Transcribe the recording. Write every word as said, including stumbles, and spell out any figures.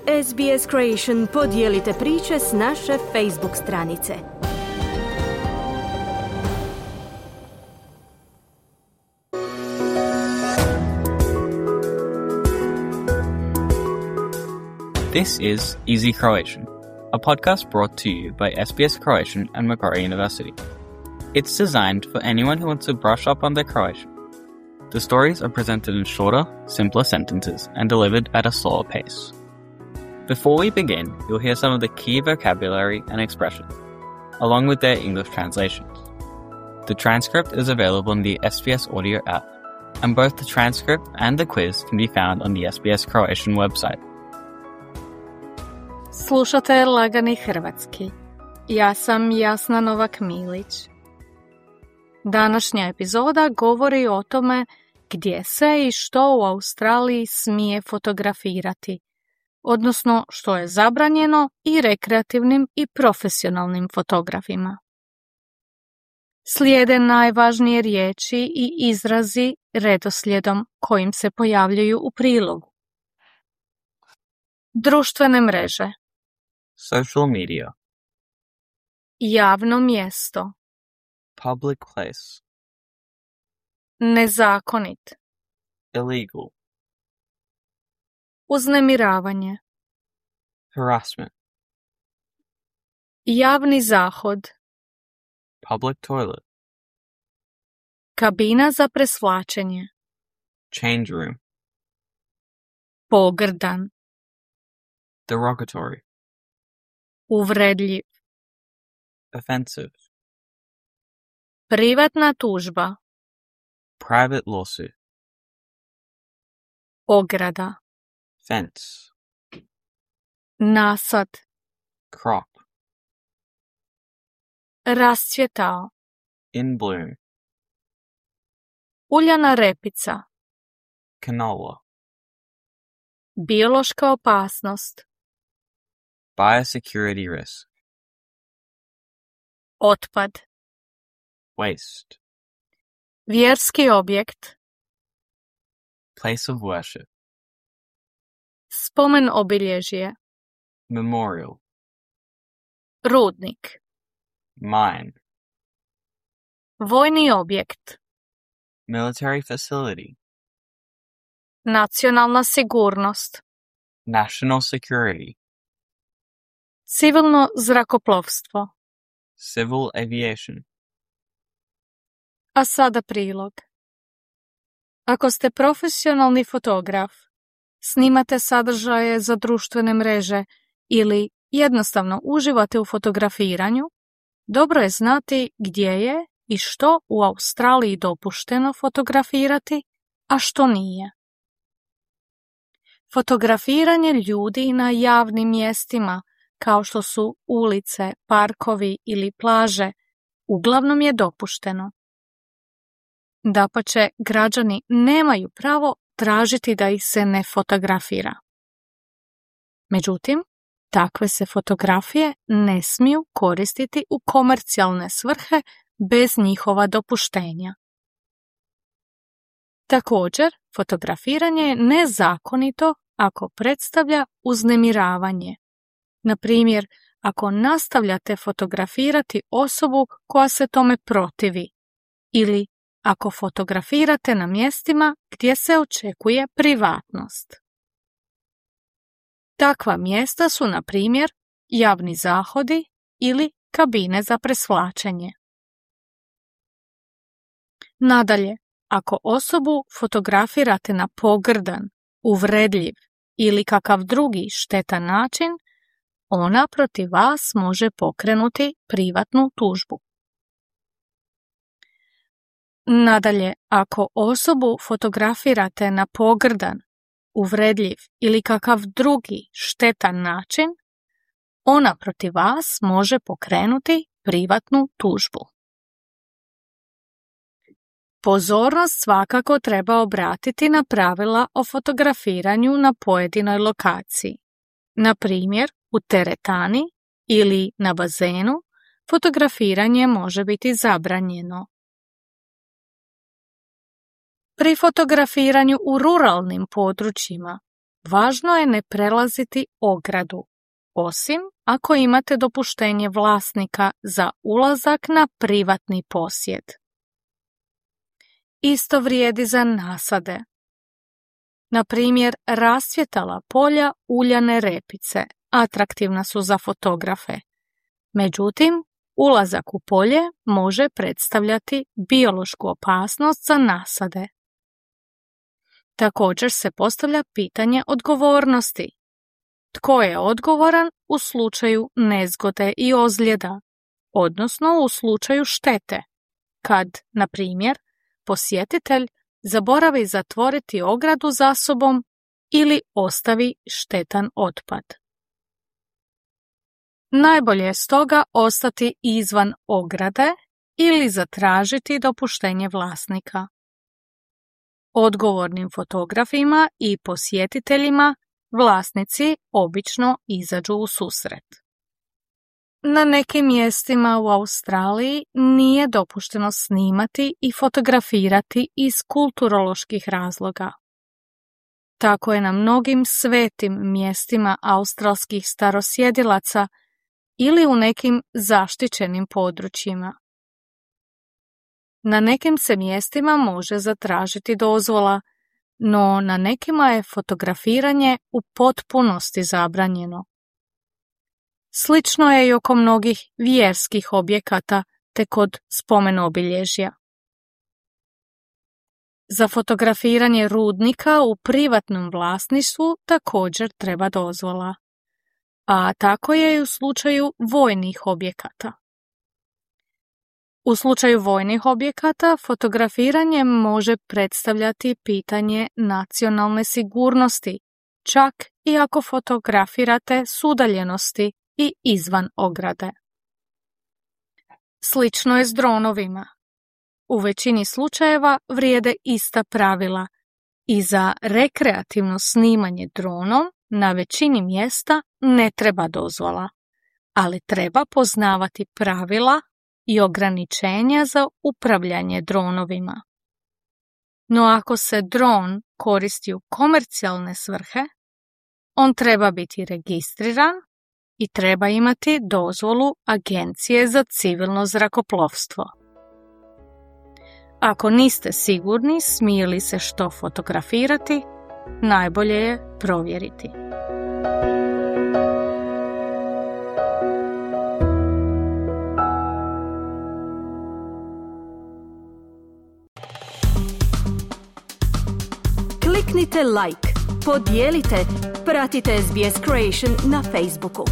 S B S Creation podijelite priče s naše Facebook stranice. This is Easy Croatian, a podcast brought to you by S B S Croatian and Macquarie University. It's designed for anyone who wants to brush up on their Croatian. The stories are presented in shorter, simpler sentences and delivered at a slower pace. Before we begin, you'll hear some of the key vocabulary and expressions, along with their English translations. The transcript is available in the S B S Audio app, and both the transcript and the quiz can be found on the S B S Croatian website. Slušate Lagani hrvatski. Ja sam Jasna Novak-Milić. Današnja epizoda govori o tome gdje se i što u Australiji smije fotografirati, odnosno što je zabranjeno i rekreativnim i profesionalnim fotografima. Slijede najvažnije riječi i izrazi redoslijedom kojim se pojavljuju u prilogu. Društvene mreže. Social media. Javno mjesto. Public place. Nezakonit. Illegal. Uznemiravanje. Harassment. Javni zahod. Public toilet. Kabina za presvlačenje. Change room. Pogrdan. Derogatory. Uvredljiv. Offensive. Privatna tužba. Private lawsuit. Ograda. Fence. Nasad. Crop. Rascvjetao. In bloom. Uljana repica. Canola. Biološka opasnost. Biosecurity risk. Otpad. Waste. Vjerski objekt. Place of worship. Spomen obilježje. Memorial. Rudnik. Mine. Vojni objekt. Military facility. Nacionalna sigurnost. National security. Civilno zrakoplovstvo. Civil aviation. A sada prilog. Ako ste profesionalni fotograf, snimate sadržaje za društvene mreže ili jednostavno uživate u fotografiranju, dobro je znati gdje je i što u Australiji dopušteno fotografirati, a što nije. Fotografiranje ljudi na javnim mjestima, kao što su ulice, parkovi ili plaže, uglavnom je dopušteno. Dapače, građani nemaju pravo tražiti da ih se ne fotografira. Međutim, takve se fotografije ne smiju koristiti u komercijalne svrhe bez njihova dopuštenja. Također, fotografiranje je nezakonito ako predstavlja uznemiravanje. Na primjer, ako nastavljate fotografirati osobu koja se tome protivi ili ako fotografirate na mjestima gdje se očekuje privatnost. Takva mjesta su, na primjer, javni zahodi ili kabine za presvlačenje. Nadalje, ako osobu fotografirate na pogrdan, uvredljiv ili kakav drugi štetan način, ona protiv vas može pokrenuti privatnu tužbu. Nadalje, ako osobu fotografirate na pogrdan, uvredljiv ili kakav drugi štetan način, ona protiv vas može pokrenuti privatnu tužbu. Pozornost svakako treba obratiti na pravila o fotografiranju na pojedinoj lokaciji. Na primjer, u teretani ili na bazenu fotografiranje može biti zabranjeno. Pri fotografiranju u ruralnim područjima važno je ne prelaziti ogradu, osim ako imate dopuštenje vlasnika za ulazak na privatni posjed. Isto vrijedi za nasade. Na primjer, rasvjetala polja uljane repice atraktivna su za fotografe. Međutim, ulazak u polje može predstavljati biološku opasnost za nasade. Također se postavlja pitanje odgovornosti. Tko je odgovoran u slučaju nezgode i ozljeda, odnosno u slučaju štete, kad, na primjer, posjetitelj zaboravi zatvoriti ogradu za sobom ili ostavi štetan otpad. Najbolje je stoga ostati izvan ograde ili zatražiti dopuštenje vlasnika. Odgovornim fotografima i posjetiteljima vlasnici obično izađu u susret. Na nekim mjestima u Australiji nije dopušteno snimati i fotografirati iz kulturoloških razloga. Tako je na mnogim svetim mjestima australskih starosjedilaca ili u nekim zaštićenim područjima. Na nekim se mjestima može zatražiti dozvola, no na nekima je fotografiranje u potpunosti zabranjeno. Slično je i oko mnogih vjerskih objekata te kod spomen-obilježja. Za fotografiranje rudnika u privatnom vlasništvu također treba dozvola, a tako je i u slučaju vojnih objekata. U slučaju vojnih objekata fotografiranje može predstavljati pitanje nacionalne sigurnosti, čak i ako fotografirate s udaljenosti i izvan ograde. Slično je s dronovima. U većini slučajeva vrijede ista pravila i za rekreativno snimanje dronom na većini mjesta ne treba dozvola, ali treba poznavati pravila i ograničenja za upravljanje dronovima. No ako se dron koristi u komercijalne svrhe, on treba biti registriran i treba imati dozvolu Agencije za civilno zrakoplovstvo. Ako niste sigurni smije li se što fotografirati, najbolje je provjeriti. Kliknite like, podijelite, pratite S B S Creation na Facebooku.